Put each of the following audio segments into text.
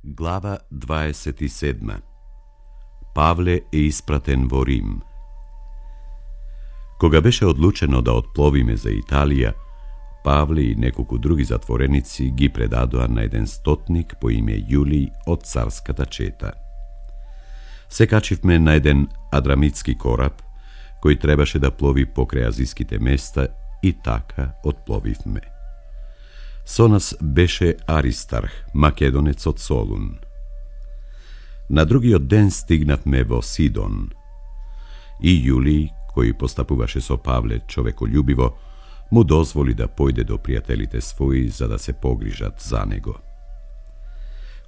Глава 27. Павле е испратен во Рим. Кога беше одлучено да отпловиме за Италија, Павле и неколку други затвореници ги предадоа на еден стотник по име Јулиј од царската чета. Се качивме на еден адрамитски кораб, кој требаше да плови покрај азиските места и така отпловивме. Со нас беше Аристарх, македонец од Солун. На другиот ден стигнавме во Сидон. И Јулиј, кој постапуваше со Павле човеколюбиво, му дозволи да појде до пријателите своји за да се погрижат за него.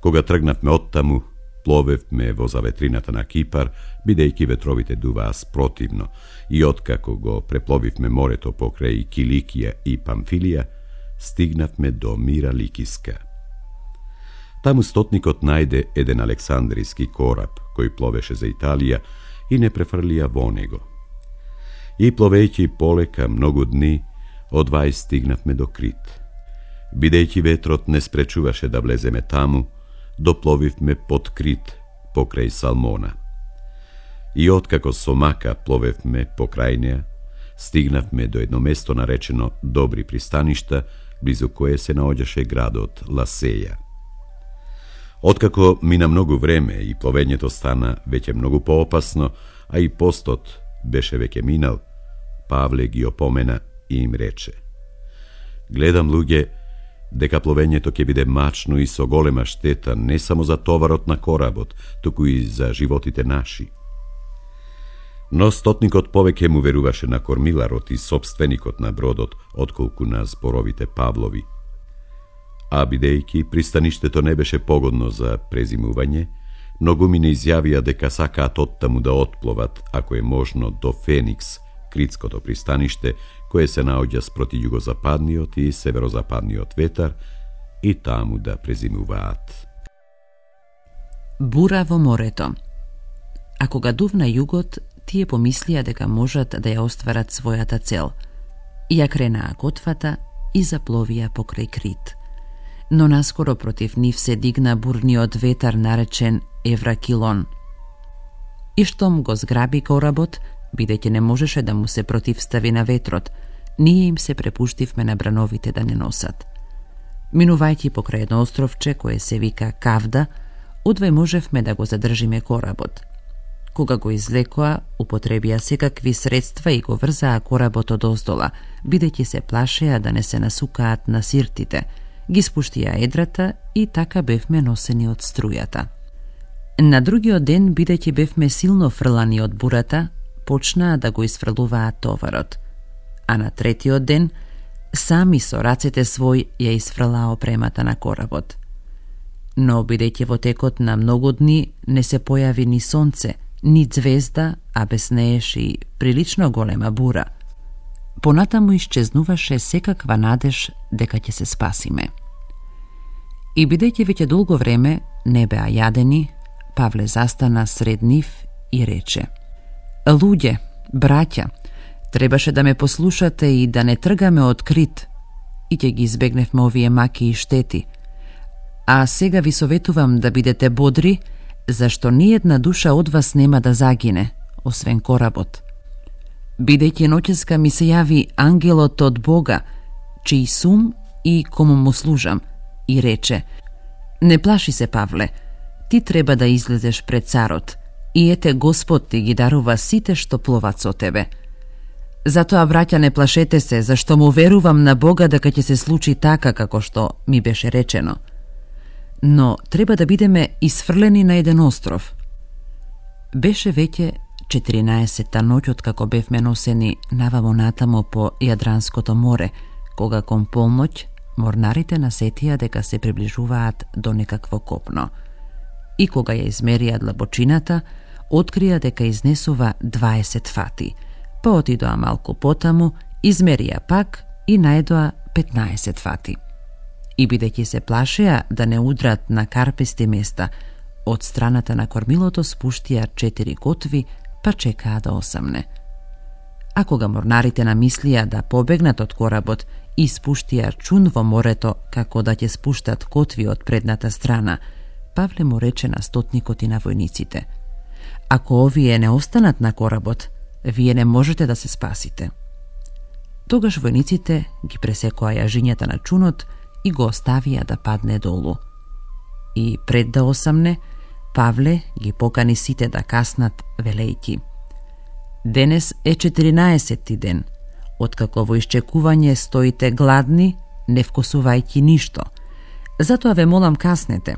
Кога тргнавме оттаму, пловевме во заветрината на Кипар, бидејќи ветровите дуваа спротивно, и откако го препловивме морето покрај Киликија и Памфилија, стигнавме до Мира Ликиска. Таму стотникот најде еден александријски кораб, кој пловеше за Италија и не префрлија во него. И пловејќи полека многу дни, одвај стигнавме до Крит. Бидејќи ветрот не спречуваше да влеземе таму, допловивме под Крит, покрај Салмона. И откако со мака пловевме покрај неа, стигнавме до едно место наречено Добри пристаништа, близу кое се наоѓаше градот Ласеја. Откако мина многу време и пловењето стана веќе многу поопасно, а и постот беше веќе минал, Павле ги опомена и им рече: гледам, луѓе, дека пловењето ќе биде мачно и со голема штета не само за товарот на коработ, туку и за животите наши. Но стотникот повеќе му веруваше на кормиларот и сопственикот на бродот, отколку на зборовите Павлови. А бидејќи пристаништето не беше погодно за презимување, многумина изјавија дека сакаат оттаму да отпловат, ако е можно, до Феникс, критското пристаниште, кое се наоѓа спроти југозападниот и северозападниот ветар, и таму да презимуваат. Бура во морето. А кога дувна југот, тие помислија дека можат да ја остварат својата цел. Ја кренаа готвата и запловија покрај Крит. Но наскоро против нив се дигна бурниот ветар наречен Евракилон. И штом го зграби коработ, бидејќи не можеше да му се противстави на ветрот, ние им се препуштивме на брановите да не носат. Минувајќи покрај едно островче кое се вика Кавда, одвај можевме да го задржиме коработ. Кога го излекоа, употребија секакви средства и го врзаа коработ одоздола, бидејќи се плашеа да не се насукаат на сиртите, ги спуштија едрата и така бевме носени од струјата. На другиот ден, бидејќи бевме силно фрлани од бурата, почнаа да го изфрлуваат товарот. А на третиот ден, сами со рацете свој ја изфрлаа опремата на коработ. Но бидејќи во текот на многу дни не се појави ни сонце, ни звезда, а беснееше и прилично голема бура, понатаму исчезнуваше секаква надеж дека ќе се спасиме. И бидејќи веќе долго време не беа јадени, Павле застана сред нив и рече: луѓе, браќа, требаше да ме послушате и да не тргаме од Крит, и ќе ги избегневме овие маки и штети. А сега ви советувам да бидете бодри, зашто ниедна душа од вас нема да загине, освен коработ. Бидејќи ноќеска ми се јави ангелот од Бога, чиј сум и кому му служам, и рече: не плаши се, Павле, ти треба да излезеш пред царот, и ете Господ ти ги дарува сите што пловат со тебе. Затоа, браќа, не плашете се, зашто му верувам на Бога дека ќе се случи така како што ми беше речено. Но треба да бидеме изфрлени на еден остров. Беше веќе 14-та ноќ од како бевме носени навамо натамо по Јадранското море, кога кон полноќ морнарите насетија дека се приближуваат до некакво копно. И кога ја измерија длабочината, открија дека изнесува 20 фати, па отидоа малку потаму, измерија пак и најдоа 15 фати. И бидејќи се плашеа да не удрат на карпести места, од страната на кормилото спуштија 4 котви, па чекаа да осамне. А кога морнарите намислија да побегнат од коработ и спуштија чун во морето како да ќе спуштат котви од предната страна, Павле му рече на стотникот и на војниците: ако овие не останат на коработ, вие не можете да се спасите. Тогаш војниците ги пресекоа јажињата на чунот и го оставија да падне долу. И пред да осамне, Павле ги покани сите да каснат, велејќи: денес е 14-ти ден, откако во исчекување стоите гладни, не вкусувајќи ништо. Затоа ве молам, каснете.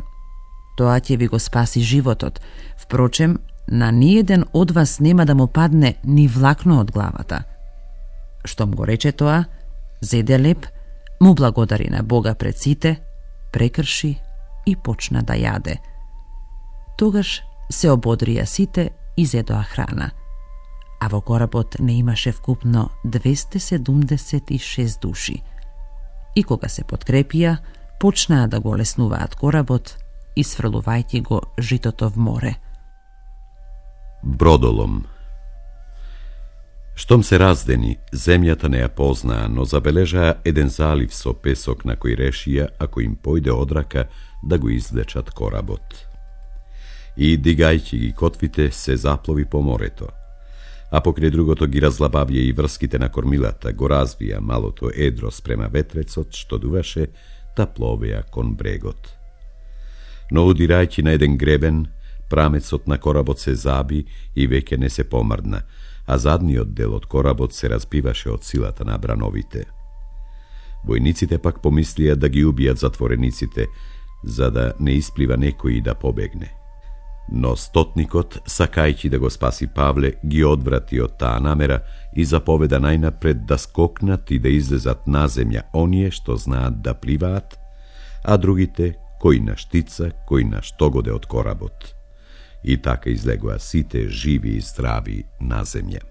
Тоа ќе ви го спаси животот. Впрочем, на ниеден од вас нема да му падне ни влакно од главата. Штом го рече тоа, зеде леп, му благодари на Бога пред сите, прекрши и почна да јаде. Тогаш се ободрија сите и зедоа храна. А во коработ не имаше вкупно 276 души. И кога се подкрепија, почнаа да го леснуваат коработ, исфрлувајќи го житото в море. Бродолом. Штом се раздени, земјата не ја познаа, но забележаа еден залив со песок на кој решија, ако им појде одрака, да го извлечат коработ. И, дигајќи ги котвите, се заплови по морето. А покрај другото ги разлабавија и врските на кормилата, го развија малото едро спрема ветрецот, што дуваше, да пловеа кон брегот. Но удирајќи на еден гребен, прамецот на коработ се заби и веќе не се помрдна, а задниот дел од коработ се разбиваше од силата на брановите. Војниците пак помислија да ги убијат затворениците, за да не исплива некој и да побегне. Но стотникот, сакајќи да го спаси Павле, ги одврати од таа намера и заповеда најнапред да скокнат и да излезат на земја оние што знаат да пливаат, а другите кој на штица, кој на штогоде од коработ. И така излегоа сите живи и здрави на земја.